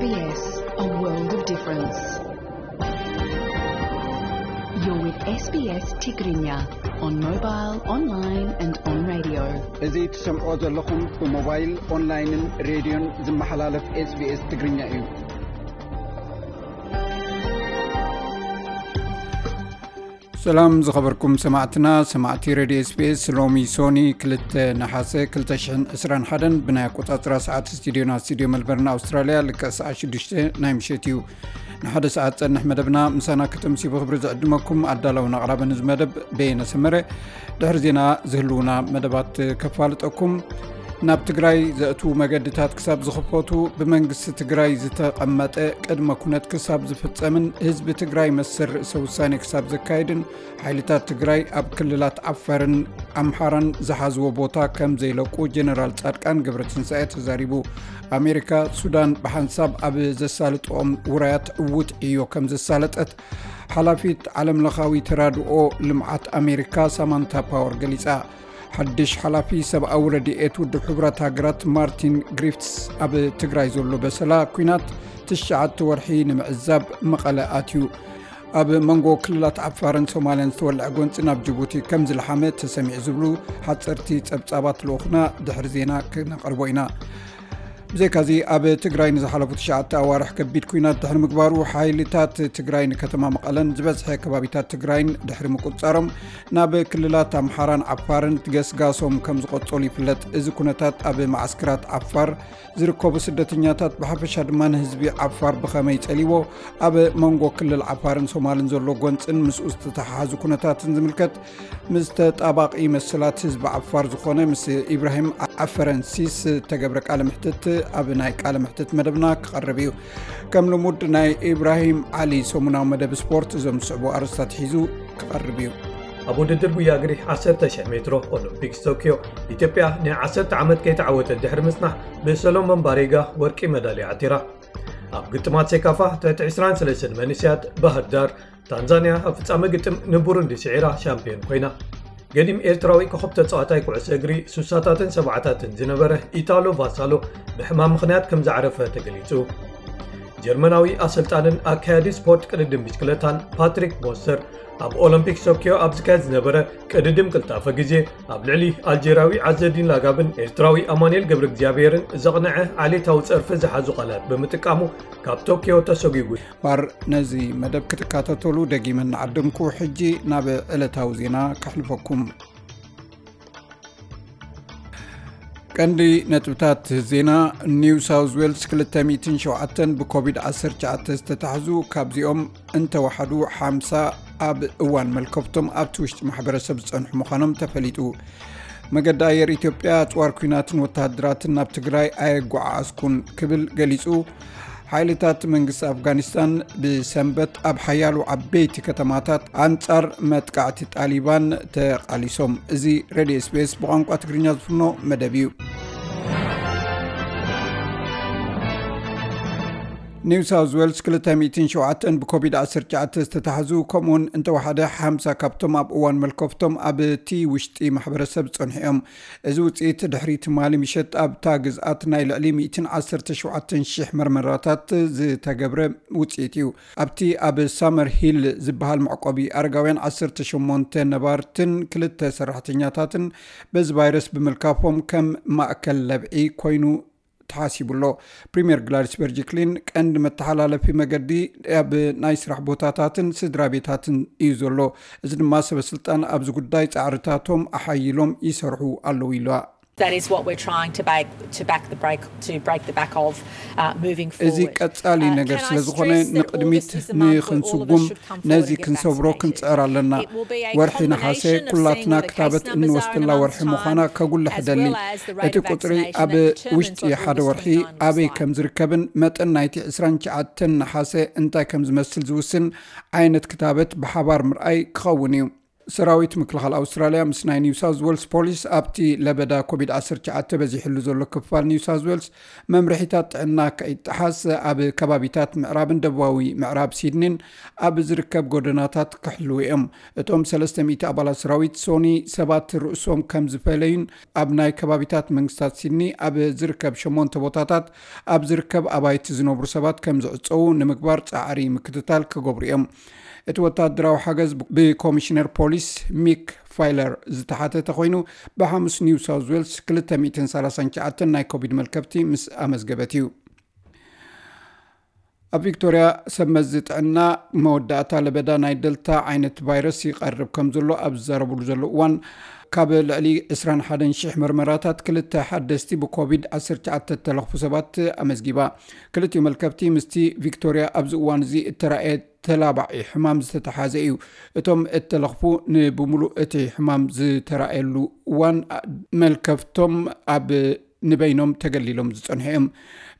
S B S, a world of difference. You're with S B S Tigrinya on mobile, online and on radio. እዚ ትሰምዖ ዘለኹም ብሞባይል፣ ኦንላይንን ሬድዮን ዝመሓላለፍ S B S ትግርኛ እዩ። ሰላም ዝኸበርኩም ሰማዕትና፣ ሰማዕቲ ሬድዮ S B S፣ ሎሚ ሶኒ ክልተ ነሓሰ ክልተ ሽሕን ዕስራን ሓደን ብናይ ኣቆጻጽራ ሰዓት ስቱዲዮና፣ ስቱዲዮ መልበርን ኣውስትራልያ፣ ልክዕ ሰዓት ሽዱሽተ ናይ ምሸት እዩ። ንሓደ ሰዓት ጸንሕ መደብና ምሳና ከተምሲ ብኽብሪ ዝዕድመኩም ኣዳላውን ኣቕራብን እዚ መደብ በየነ ሰመረ። ድሕሪ ዜና ዝህልውና መደባት ከፋልጠኩም። ናብ ትግራይ ዘእትዉ መገድታት ክሳብ ዝኽፈቱ፣ ብመንግስቲ ትግራይ ዝተቐመጠ ቅድመ ኩነት ክሳብ ዝፍጸምን ህዝቢ ትግራይ መሰል ርእሰ ውሳኔ ክሳብ ዘካይድን፣ ሓይልታት ትግራይ ኣብ ክልላት ዓፋርን ኣምሓራን ዝሓዝዎ ቦታ ከም ዘይለቁ ጀነራል ጻድቃን ገብረትንሳኤ ተዛሪቡ። ኣሜሪካ፣ ሱዳን ብሓንሳብ ኣብ ዘሳልጥኦም ውራያት ዕዉት ዕዮ ከም ዘሳለጠት ሓላፊት ዓለምለኻዊ ተራድኦ ልምዓት ኣሜሪካ ሳማንታ ፓወር ገሊጻ። ሓድሽ ሓላፊ ሰብኣዊ ረድኤት ውድብ ሕቡራት ሃገራት ማርቲን ግሪፍትስ ኣብ ትግራይ ዘሎ በሰላ ኲናት ትሽዓተ ወርሒ ንምዕዛብ መቐለ ኣትዩ። ኣብ መንጎ ክልላት ዓፋርን ሶማልያን ዝተወልዐ ጎንፂ ናብ ጅቡቲ ከም ዝለሓመ ተሰሚዑ ዝብሉ ሓፀርቲ ፀብፃባት ልኡኽና ድሕሪ ዜና ክነቕርቦ ኢና። ብዘይካዚ ኣብ ትግራይ ንዝሓለፉ ትሽዓተ ኣዋርሕ ከቢድ ኲናት ድሕሪ ምግባሩ ሓይልታት ትግራይ ንከተማ መቐለን ዝበዝሐ ከባቢታት ትግራይን ድሕሪ ምቁፅፃሮም ናብ ክልላት ኣምሓራን ዓፋርን ገስጋሶም ከም ዝቐጸሉ ይፍለጥ። እዚ ኩነታት ኣብ መዓስከራት ዓፋር ዝርከቡ ስደተኛታት ብሓፈሻ ድማ ንህዝቢ ዓፋር ብኸመይ ጸሊዎ፣ ኣብ መንጎ ክልል ዓፋርን ሶማልን ዘሎ ጎንጽን ምስኡ ዝተሓሓዙ ኩነታትን ዝምልከት ምስ ተጣባቒ መሰላት ህዝቢ ዓፋር ዝኾነ ምስ ኢብራሂም ዓፈረንሲስ ዝተገብረ ቃለ ምሕትት ኣብ ናይ ቃለ ምሕትት መደብና ክቐርብ እዩ። ከም ልሙድ ናይ ኢብራሂም ዓሊ ሰሙናዊ መደብ ስፖርት እዞም ዝስዕቡ ኣርእስታት ሒዙ ክቐርብ እዩ። ኣብ ውድድር ጉያ እግሪ ዓሰርተ ሺሕ ሜትሮ ኦሎምፒክስ ቶክዮ፣ ኢትዮጵያ ንዓሰርተ ዓመት ከይተዓወተት ድሕሪ ምጽናሕ፣ ብሰሎሞን ባሬጋ ወርቂ መዳልያ ዓቲራ። ኣብ ግጥማት ሴካፋ፣ ትሕቲ ዕስራን ሰለስተን መንእሰያት፣ ባህር ዳር፣ ታንዛንያ ኣብ ፍጻመ ግጥም ንቡሩንዲ ስዒራ ሻምፒዮን ኮይና። ገዲም ኤርትራዊ ኮኸብ ተጻዋታይ ኩዕሶ እግሪ ሱሳታትን ሰብዓታትን ዝነበረ ኢታሎ ቫሳሎ ብሕማም ምኽንያት ከም ዝዓረፈ ተገሊጹ። ጀርመናዊ ኣሰልጣንን ኣካያዲ ስፖርት ቅድድም ብሽክለታን ፓትሪክ ሞስተር ኣብ ኦሎምፒክ ቶክዮ ኣብ ዝካየድ ዝነበረ ቅድድም ቅልጣፈ ግዜ ኣብ ልዕሊ ኣልጀርያዊ ዓዘዲን ላጋብን ኤርትራዊ ኣማኑኤል ገብረ እግዚኣብሔርን ዘቕንዐ ዓሌታዊ ጸርፊ ዝሓዙ ቃላት ብምጥቃሙ ካብ ቶክዮ ተሰጒጉ። ባር ነዚ መደብ ክትከታተሉ ደጊመ እናዓደምኩ፣ ሕጂ ናብ ዕለታዊ ዜና ከሕልፈኩም። ቀንዲ ነጥብታት ዜና። ኒው ሳውዝ ዌልስ ክልተ ሚእትን ሸውዓተን ብኮቪድ ዓሰርተ ትሽዓተ ዝተታሕዙ፣ ካብዚኦም እንተወሓዱ ሓምሳ ኣብ እዋን መልከፍቶም ኣብቲ ውሽጢ ማሕበረሰብ ዝጸንሑ ምዃኖም ተፈሊጡ። መገዲ ኣየር ኢትዮጵያ ኣጽዋር ኲናትን ወተሃደራትን ናብ ትግራይ ኣየጓዓዓዝኩን ክብል ገሊጹ። ሓይልታት መንግስቲ ኣፍጋኒስታን ብሰንበት ኣብ ሓያሎ ዓበይቲ ከተማታት ኣንጻር መጥቃዕቲ ጣሊባን ተቓሊሶም። እዚ ሬድዮ S B S ብቋንቋ ትግርኛ ዝፍኖ መደብ እዩ። ኒው ሳውዝ ዌልስ ክልተ ሚእትን ሸውዓተን ብኮቪድ ዓሰርተ ትሽዓተ ዝተታሕዙ፣ ከምኡውን እንተወሓደ ሓምሳ ካብቶም ኣብ እዋን መልከፍቶም ኣብቲ ውሽጢ ማሕበረሰብ ዝጸንሑ እዮም። እዚ ውጽኢት ድሕሪ ትማሊ ምሸት ኣብታ ግዝኣት ናይ ልዕሊ ሚእትን ዓሰርተ ሸውዓተን ሽሕ መርመራታት ዝተገብረ ውጽኢት እዩ። ኣብቲ ኣብ ሳመር ሂል ዝበሃል መዕቆቢ ኣረጋውያን ዓሰርተ ሸሞንተ ነባርትን ክልተ ሰራሕተኛታትን በዚ ቫይረስ ብምልካፎም ከም ማእከል ለብዒ ኮይኑ ተሓሲቡ ኣሎ። ፕሪምየር ግላድስ በርጅክሊን ቀንዲ መተሓላለፊ መገዲ ኣብ ናይ ስራሕ ቦታታትን ስድራ ቤታትን እዩ ዘሎ። እዚ ድማ ሰበ ስልጣን ኣብዚ ጉዳይ ጻዕርታቶም ኣሓይሎም ይሰርሑ ኣለዉ ኢለዋ። That is what we're trying to back, to back the break, to break the back of, uh, moving forward. እዚ ቀጻሊ ነገር ስለ ዝኾነ ንቅድሚት ንክንስጉም ነዚ ክንሰብሮ ክንጽዕር ኣለና። ወርሒ ነሓሰ ኩላትና ክታበት እንወስደላ ወርሒ ምዃና ከጉልሕ እደሊ። እቲ ቁጽሪ ኣብ ውሽጢ ሓደ ወርሒ ኣበይ ከም ዝርከብን መጠን ናይቲ ዕስራን ትሽዓተን ነሓሰ እንታይ ከም ዝመስል ዝውስን ዓይነት ክታበት ብሓባር ምርኣይ ክኸውን እዩ። ሰራዊት ምክልኻል ኣውስትራልያ ምስ ናይ ኒው ሳውዝ ዌልስ ፖሊስ ኣብቲ ለበዳ ኮቪድ ዓሰርተ ትሽዓተ በዚሕሉ ዘሎ ክፋል ኒው ሳውዝ ዌልስ መምርሒታት ጥዕና ከይጠሓስ ኣብ ከባቢታት ምዕራብን ደቡባዊ ምዕራብ ሲድኒን ኣብ ዝርከብ ጎደናታት ክሕልዉ እዮም። እቶም ሰለስተ ሚእቲ ኣባላት ሰራዊት ሶኒ ሰባት ርእሶም ከም ዝፈለዩን ኣብ ናይ ከባቢታት መንግስታት ሲድኒ ኣብ ዝርከብ ሸሞንተ ቦታታት ኣብ ዝርከብ ኣባይቲ ዝነብሩ ሰባት ከም ዝዕጸዉ ንምግባር ጻዕሪ ምክትታል ክገብሩ እዮም። እቲ ወታደራዊ ሓገዝ ብኮሚሽነር ፖሊስ ሚክ ፋይለር ዝተሓተተ ኮይኑ፣ ብሓሙስ ኒው ሳውዝ ዌልስ ክልተ ሚእትን ሰላሳን ትሽዓተን ናይ ኮቪድ መልከፍቲ ምስ ኣመዝገበት እዩ። ኣብ ቪክቶርያ ሰብ መዚ ጥዕና መወዳእታ ለበዳ ናይ ደልታ ዓይነት ቫይረስ ይቐርብ ከም ዘሎ ኣብ ዝዛረብሉ ዘሎ እዋን፣ ካብ ልዕሊ ዕስራን ሓደን ሽሕ መርመራታት ክልተ ሓደስቲ ብኮቪድ ዓሰርተ ትሽዓተ እተለኽፉ ሰባት ኣመዝጊባ። ክልቲኡ መልከፍቲ ምስቲ ቪክቶርያ ኣብዚ እዋን እዚ እተራእየ ተላባዒ ሕማም ዝተተሓዘ እዩ። እቶም እተለኽፉ ንብምሉእ እቲ ሕማም ዝተራእየሉ እዋን መልከፍቶም ኣብ ንበይኖም ተገሊሎም ዝጸንሑ እዮም።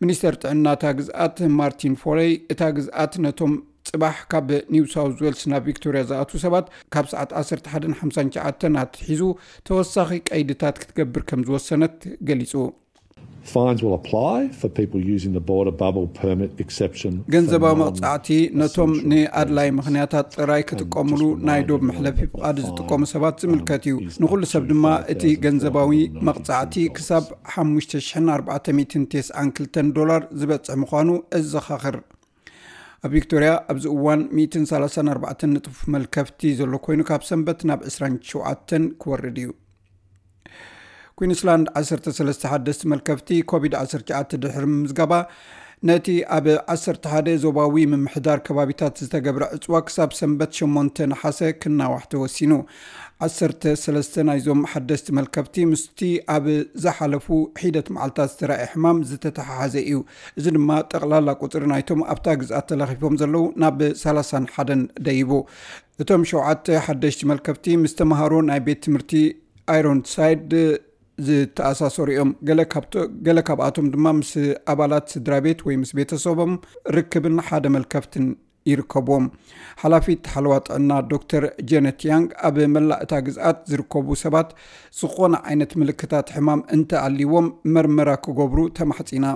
ሚኒስተር ጥዕና እታ ግዝኣት ማርቲን ፎለይ፣ እታ ግዝኣት ነቶም ጽባሕ ካብ ኒው ሳውዝ ዌልስ ናብ ቪክቶርያ ዝኣትዉ ሰባት ካብ ሰዓት ዓሰርተ ሓደን ሓምሳን ትሽዓተን ኣትሒዙ ተወሳኺ ቀይድታት ክትገብር ከም ዝወሰነት ገሊጹ። Fines will apply for people using the border bubble permit exception. ገንዘባዊ መቕጻዕቲ ነቶም ንኣድላይ ምኽንያታት ጥራይ ክጥቀምሉ ናይ ዶብ መሕለፊ ፍቓድ ዝጥቀሙ ሰባት ዝምልከት እዩ። ንኹሉ ሰብ ድማ እቲ ገንዘባዊ መቕጻዕቲ ክሳብ ሓሙሽተ ሽሕን ኣርባዕተ ሚእትን ተስዓን ክልተን ዶላር ዝበጽሕ ምዃኑ እዘኻኽር። ኣብ ቪክቶርያ ኣብዚ እዋን ሚእትን ሰላሳን ኣርባዕተን ንጡፍ መልከፍቲ ዘሎ ኮይኑ፣ ካብ ሰንበት ናብ ዕስራን ሸውዓተን ክወርድ እዩ። ኩዊንስላንድ ዓሰርተ ሰለስተ ሓደስቲ መልከፍቲ ኮቪድ ዓሰርተ ትሽዓተ ድሕሪ ምምዝጋባ፣ ነቲ ኣብ ዓሰርተ ሓደ ዞባዊ ምምሕዳር ከባቢታት ዝተገብረ ዕጽዋ ክሳብ ሰንበት ሸሞንተ ነሓሰ ክናዋሕ ተወሲኑ። ዓሰርተ ሰለስተ ናይዞም ሓደስቲ መልከፍቲ ምስቲ ኣብ ዝሓለፉ ሒደት መዓልታት ዝተራእየ ሕማም ዝተተሓሓዘ እዩ። እዚ ድማ ጠቕላላ ቁጽሪ ናይቶም ኣብታ ግዝኣት ተለኺፎም ዘለዉ ናብ ሰላሳን ሓደን ደይቡ። እቶም ሸውዓተ ሓደሽቲ መልከፍቲ ምስ ተምሃሮ ናይ ቤት ትምህርቲ ኣይሮንሳይድ ዝተኣሳሰሩ እዮም። ገለ ካብቶ-፣ ገለ ካብኣቶም ድማ ምስ ኣባላት ስድራ ቤት ወይ ምስ ቤተሰቦም ርክብን ሓደ መልከፍትን ይርከብዎም። ሓላፊት ሓለዋ ጥዕና ዶክተር ጀነት ያንግ፣ ኣብ መላእ እታ ግዝኣት ዝርከቡ ሰባት ዝኾነ ዓይነት ምልክታት ሕማም እንተኣልይዎም መርመራ ክገብሩ ተማሕጺና።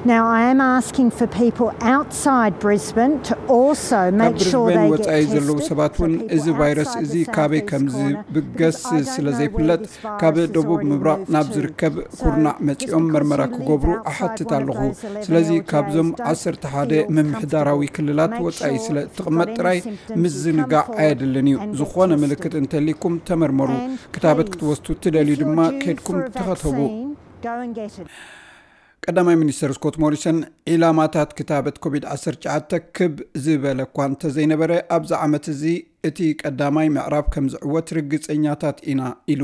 Now, I am asking for people outside Brisbane to also ካብ make sure ብሪዝቤን they ወጻኢ get ዘለዉ tested. ሰባት እውን እዚ ቫይረስ እዚ ካበይ ከም ዝብገስ ስለ ዘይፍለጥ፣ ካብ ደቡብ ምብራቕ ናብ ዝርከብ ኩርናዕ መጺኦም መርመራ ክገብሩ እሓትት ኣለኹ። ስለዚ ካብዞም ዓሰርተ ሓደ ምምሕዳራዊ ክልላት ወጻኢ ስለ እትቕመጥ ጥራይ ምዝንጋዕ ኣየድልን እዩ። ዝኾነ ምልክት እንተልይኩም ተመርመሩ። ክታበት ክትወስዱ እትደልዩ ድማ ከድኩም ተኸተቡ። ቀዳማይ ሚኒስተር ስኮት ሞሪሰን፣ ዒላማታት ክታበት ኮቪድ ዓሰርተ ትሽዓተ ክብ ዝበለ እኳ እንተዘይነበረ፣ ኣብዚ ዓመት እዚ እቲ ቀዳማይ ምዕራፍ ከም ዝዕወት ርግጸኛታት ኢና ኢሉ።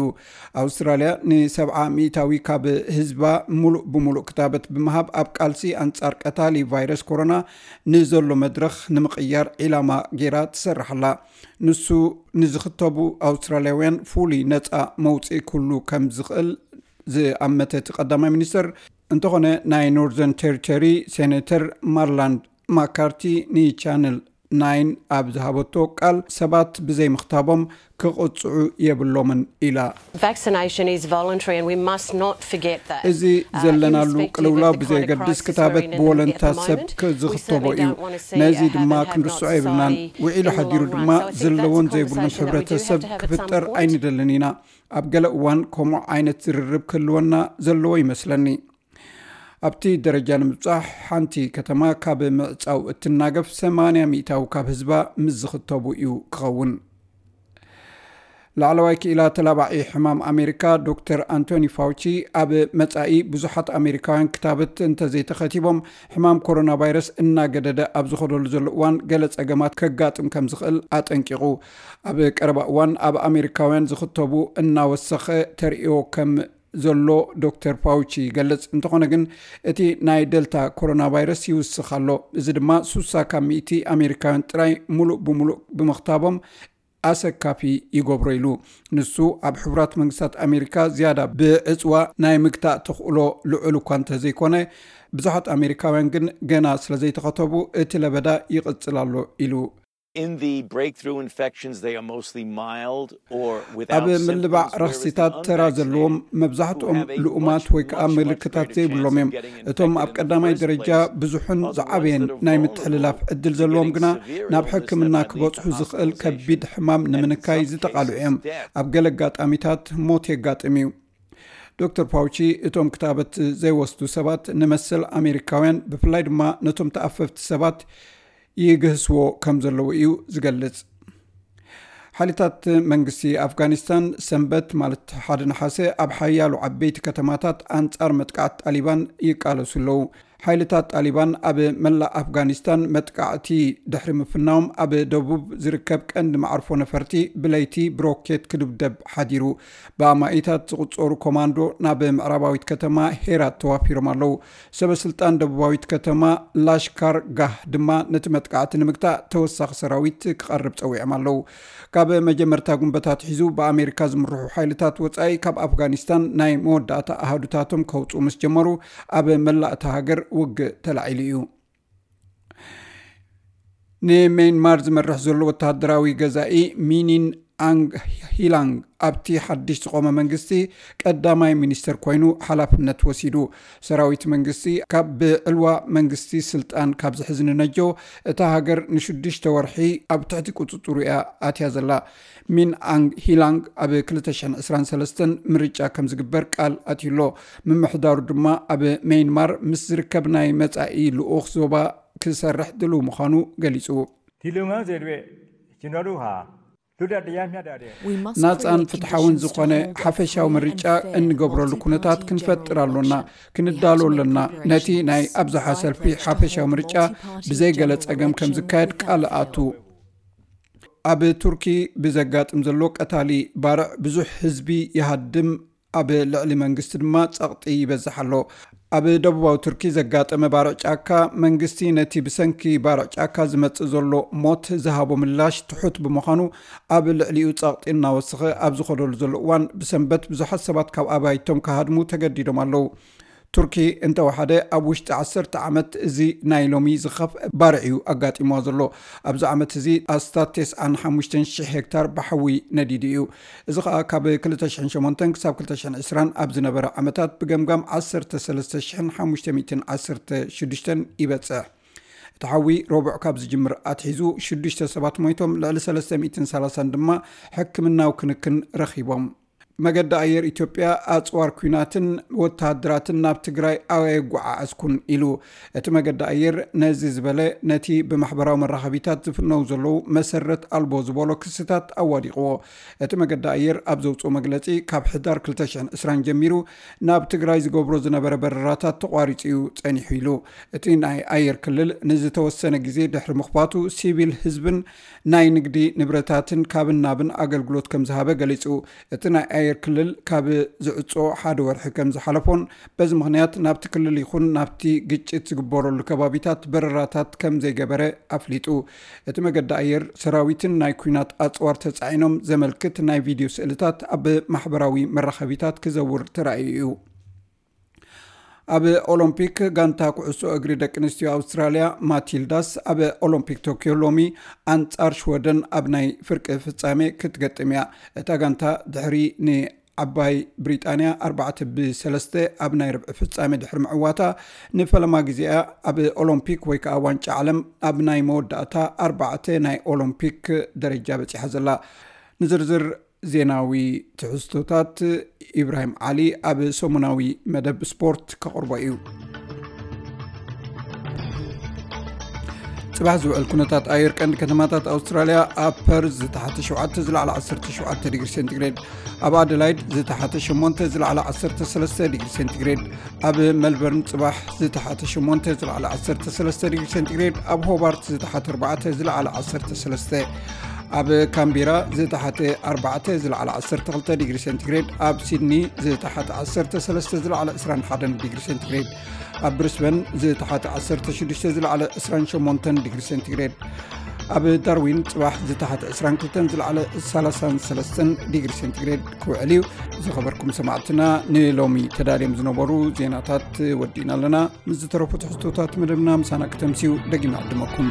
ኣውስትራልያ ንሰብዓ ሚእታዊ ካብ ህዝባ ሙሉእ ብሙሉእ ክታበት ብምሃብ ኣብ ቃልሲ ኣንጻር ቀታሊ ቫይረስ ኮሮና ንዘሎ መድረኽ ንምቕያር ዒላማ ጌራ ትሰርሕ ኣላ። ንሱ ንዝኽተቡ ኣውስትራልያውያን ፍሉይ ነጻ መውጽኢ ክህሉ ከም ዝኽእል ዝኣመተ እቲ ቀዳማይ ሚኒስተር፣ እንተኾነ ናይ ኖርዘርን ቴሪቶሪ ሴኔተር ማርላንድ ማካርቲ ንቻነል ናይን ኣብ ዝሃበቶ ቃል ሰባት ብዘይ ምኽታቦም ክቕጽዑ የብሎምን ኢላ። Vaccination is voluntary and we must not forget that. እዚ ዘለናሉ ቅልውላው ብዘየገድስ ክታበት ብወለንታ ሰብ ክዝኽተቦ እዩ። ነዚ ድማ ክንርስዖ የብልናን። ውዒሉ ሓዲሩ ድማ ዘለዎን ዘይብሉን ሕብረተሰብ ክፍጠር ኣይንደልን ኢና። ኣብ ገለ እዋን ከምኡ ዓይነት ዝርርብ ክህልወና ዘለዎ ይመስለኒ። ኣብቲ ደረጃ ንምብጻሕ ሓንቲ ከተማ ካብ ምዕጻው እትናገፍ ሰማንያ ሚእታዊ ካብ ህዝባ ምስ ዝኽተቡ እዩ ክኸውን። ላዕለዋይ ክኢላ ተላባዒ ሕማም ኣሜሪካ ዶክተር ኣንቶኒ ፋውቺ ኣብ መጻኢ ብዙሓት ኣሜሪካውያን ክታበት እንተዘይተኸቲቦም ሕማም ኮሮና ቫይረስ እናገደደ ኣብ ዝኸደሉ ዘሎ እዋን ገለ ጸገማት ከጋጥም ከም ዝኽእል ኣጠንቂቑ። ኣብ ቀረባ እዋን ኣብ ኣሜሪካውያን ዝኽተቡ እናወሰኸ ተርእዮ ከም ዘሎ ዶክተር ፋውቺ ይገልጽ። እንተኾነ ግን እቲ ናይ ደልታ ኮሮና ቫይረስ ይውስኽ ኣሎ። እዚ ድማ ሱሳ ካብ ሚእቲ ኣሜሪካውያን ጥራይ ሙሉእ ብሙሉእ ብምኽታቦም ኣሰካፊ ይገብሮ ኢሉ። ንሱ ኣብ ሕቡራት መንግስታት ኣሜሪካ ዝያዳ ብዕጽዋ ናይ ምግታእ ተኽእሎ ልዑል እኳ እንተዘይኮነ፣ ብዙሓት ኣሜሪካውያን ግን ገና ስለ ዘይተኸተቡ እቲ ለበዳ ይቕጽል ኣሎ ኢሉ። In the breakthrough infections, they are mostly mild or without ኣብ ምልባዕ symptoms, whereas the ረኽሲታት ተራ unvaccinated ዘለዎም who መብዛሕትኦም have a ልኡማት much, ወይ ከዓ much, much ምልክታት greater ዘይብሎም chance እዮም። of getting እቶም ኣብ infected in the ቀዳማይ first ደረጃ place. ብዙሕን Other ones ዝዓበየን that are ናይ vulnerable ምትሕልላፍ ዕድል to ዘለዎም getting ግና severe ናብ illness ሕክምና that might lead ክበጽሑ to ዝኽእል ከቢድ hospitalizations, ሕማም and in ንምንካይ some ዝተቓልዑ cases, እዮም። death. ኣብ ገለ ኣጋጣሚታት ሞት የጋጥም እዩ። ዶክተር ፋውቺ እቶም ክታበት ዘይወስዱ ሰባት ንመሰል ኣሜሪካውያን ብፍላይ ድማ ነቶም ተኣፈፍቲ ሰባት ይግህስዎ ከም ዘለዉ እዩ ዝገልጽ። ሓይልታት መንግስቲ ኣፍጋኒስታን ሰንበት ማለት ሓደ ነሓሰ ኣብ ሓያሎ ዓበይቲ ከተማታት ኣንጻር መጥቃዕቲ ጣሊባን ይቃለሱ ኣለዉ። ሓይልታት ጣሊባን ኣብ መላእ ኣፍጋኒስታን መጥቃዕቲ ድሕሪ ምፍናዎም ኣብ ደቡብ ዝርከብ ቀንዲ መዓርፎ ነፈርቲ ብለይቲ ብሮኬት ክድብደብ ሓዲሩ። ብኣማኢታት ዝቑጸሩ ኮማንዶ ናብ ምዕራባዊት ከተማ ሄራት ተዋፊሮም ኣለዉ። ሰበ ስልጣን ደቡባዊት ከተማ ላሽካር ጋህ ድማ ነቲ መጥቃዕቲ ንምግታእ ተወሳኺ ሰራዊት ክቐርብ ጸዊዖም ኣለዉ። ካብ መጀመርታ ጉንበታት ሒዙ ብኣሜሪካ ዝምርሑ ሓይልታት ወጻኢ ካብ ኣፍጋኒስታን ናይ መወዳእታ ኣሃዱታቶም ከውጽኡ ምስ ጀመሩ ኣብ መላእ እታ ሃገር ውግእ ተላዒሉ እዩ። ንሜንማር ዝመርሕ ዘሎ ወተሃደራዊ ገዛኢ ሚኒን ኣንግ ሂላንግ ኣብቲ ሓድሽ ዝቖመ መንግስቲ ቀዳማይ ሚኒስተር ኮይኑ ሓላፍነት ወሲዱ። ሰራዊት መንግስቲ ካብ ብዕልዋ መንግስቲ ስልጣን ካብ ዝሕዝ ንነጆ እታ ሃገር ንሽዱሽተ ወርሒ ኣብ ትሕቲ ቁጽጽሩ እያ ኣትያ ዘላ። ሚን ኣንግ ሂላንግ ኣብ ክልተ ሽሕን ዕስራን ሰለስተን ምርጫ ከም ዝግበር ቃል ኣትዩሎ። ምምሕዳሩ ድማ ኣብ ሜንማር ምስ ዝርከብ ናይ መጻኢ ልኡኽ ዞባ ክሰርሕ ድልው ምዃኑ ገሊጹ። Tilungang zedwe chinoru ha luda diyamya dade. ናጻን ፍትሓውን ዝኾነ ሓፈሻዊ ምርጫ እንገብረሉ ኩነታት ክንፈጥር ኣሎና፣ ክንዳሎ ኣለና። ነቲ ናይ ኣብዝሓ ሰልፊ ሓፈሻዊ ምርጫ ብዘይ ገለ ጸገም ከም ዝካየድ ቃል ኣቱ። ኣብ ቱርኪ ብዘጋጥም ዘሎ ቀታሊ ባርዕ ብዙሕ ህዝቢ ይሃድም፣ ኣብ ልዕሊ መንግስቲ ድማ ጸቕጢ ይበዝሕ ኣሎ። ኣብ ደቡባዊ ቱርኪ ዘጋጠመ ባርዕ ጫካ መንግስቲ ነቲ ብሰንኪ ባርዕ ጫካ ዝመጽእ ዘሎ ሞት ዝሃቦ ምላሽ ትሑት ብምዃኑ ኣብ ልዕሊኡ ጸቕጢ እናወሰኸ ኣብ ዝኸደሉ ዘሎ እዋን ብሰንበት ብዙሓት ሰባት ካብ ኣባይቶም ክሃድሙ ተገዲዶም ኣለዉ። ቱርኪ እንተወሓደ ኣብ ውሽጢ ዓሰርተ ዓመት እዚ ናይ ሎሚ ዝኸፍአ ባርዕ እዩ ኣጋጢምዋ ዘሎ። ኣብዚ ዓመት እዚ ኣስታት ተስዓን ሓሙሽተን ሽሕ ሄክታር ብሓዊ ነዲዱ እዩ። እዚ ኸኣ ካብ ክልተ ሽሕን ሸሞንተን ክሳብ ክልተ ሽሕን ዕስራን ኣብ ዝነበረ ዓመታት ብገምጋም ዓሰርተ ሰለስተ ሽሕን ሓሙሽተ ሚእትን ዓሰርተ ሽዱሽተን ይበጽሕ። እቲ ሓዊ ረቡዕ ካብ ዝጅምር ኣትሒዙ ሽዱሽተ ሰባት ሞይቶም፣ ልዕሊ ሰለስተ ሚእትን ሰላሳን ድማ ሕክምናዊ ክንክን ረኺቦም። መገዲ ኣየር ኢትዮጵያ ኣጽዋር ኲናትን ወተሃደራትን ናብ ትግራይ ኣየጓዓዓዝኩን ኢሉ። እቲ መገዲ ኣየር ነዚ ዝበለ ነቲ ብማሕበራዊ መራኸቢታት ዝፍነው ዘለዉ መሰረት ኣልቦ ዝበሎ ክስታት ኣዋዲቕዎ። እቲ መገዲ ኣየር ኣብ ዘውፅኦ መግለፂ ካብ ሕዳር ክልተ ሽሕን ዕስራን ጀሚሩ ናብ ትግራይ ዝገብሮ ዝነበረ በረራታት ተቋሪፁ እዩ ጸኒሑ ኢሉ። እቲ ናይ ኣየር ክልል ንዝተወሰነ ግዜ ድሕሪ ምኽፋቱ ሲቪል ህዝብን ናይ ንግዲ ንብረታትን ካብን ናብን ኣገልግሎት ከም ዝሃበ ገሊጹ። እቲ ናይ ኣየር ክልል ካብ ዝዕጾ ሓደ ወርሒ ከም ዝሓለፎን በዚ ምኽንያት ናብቲ ክልል ይኹን ናብቲ ግጭት ዝግበረሉ ከባቢታት በረራታት ከም ዘይገበረ ኣፍሊጡ። እቲ መገዲ ኣየር ሰራዊትን ናይ ኲናት ኣጽዋር ተጻዒኖም ዘመልክት ናይ ቪድዮ ስእልታት ኣብ ማሕበራዊ መራኸቢታት ክዘውር ተራእዩ እዩ። ኣብ ኦሎምፒክ ጋንታ ኩዕሶ እግሪ ደቂ ኣንስትዮ ኣውስትራልያ ማቲልዳስ ኣብ ኦሎምፒክ ቶኪዮ ሎሚ ኣንጻር ሽወደን ኣብ ናይ ፍርቂ ፍጻሜ ክትገጥም እያ። እታ ጋንታ ድሕሪ ንዓባይ ብሪጣንያ ኣርባዕተ ብሰለስተ ኣብ ናይ ርብዒ ፍጻሜ ድሕሪ ምዕዋታ ንፈለማ ግዜኣ ኣብ ኦሎምፒክ ወይ ከዓ ዋንጫ ዓለም ኣብ ናይ መወዳእታ ኣርባዕተ ናይ ኦሎምፒክ ደረጃ በጺሓ ዘላ። ንዝርዝር ዜናዊ ትሕዝቶታት ኢብራሂም ዓሊ ኣብ ሰሙናዊ መደብ ስፖርት ከቕርቦ እዩ። ጽባሕ ዝውዕል ኩነታት ኣየር ቀንዲ ከተማታት ኣውስትራልያ፣ ኣብ ፐርዝ ዝተሓተ ሸውዓተ ዝለዓለ ዓሰርተ ሸውዓተ ዲግሪ ሴንቲግሬድ፣ ኣብ ኣደላይድ ዝተሓተ ሸሞንተ ዝለዓለ ዓሰርተ ሰለስተ ዲግሪ ሴንቲግሬድ፣ ኣብ መልበርን ጽባሕ ዝተሓተ ሸሞንተ ዝለዓለ ዓሰርተ ሰለስተ ዲግሪ ሴንቲግሬድ፣ ኣብ ሆባርት ዝተሓተ ኣርባዕተ ዝለዓለ ዓሰርተ ሰለስተ፣ ኣብ ካምቤራ ዝተሓተ ኣርባዕተ ዝለዓለ ዓሰርተ ክልተ ዲግሪ ሴንቲግሬድ፣ ኣብ ሲድኒ ዝተሓተ ዓሰርተ ሰለስተ ዝለዓለ ዕስራን ሓደን ዲግሪ ሴንቲግሬድ፣ ኣብ ብሪስበን ዝተሓተ ዓሰርተ ሽዱሽተ ዝለዓለ ዕስራን ሸሞንተን ዲግሪ ሴንቲግሬድ፣ ኣብ ዳርዊን ጽባሕ ዝተሓተ ዕስራን ክልተን ዝለዓለ ሰላሳን ሰለስተን ዲግሪ ሴንቲግሬድ ክውዕል እዩ። ዝኸበርኩም ሰማዕትና፣ ንሎሚ ተዳልዮም ዝነበሩ ዜናታት ወዲእና ኣለና። ምስ ዝተረፉ ትሕዝቶታት መደብና ምሳና ከተምስዩ ደጊመ ዕድመኩም።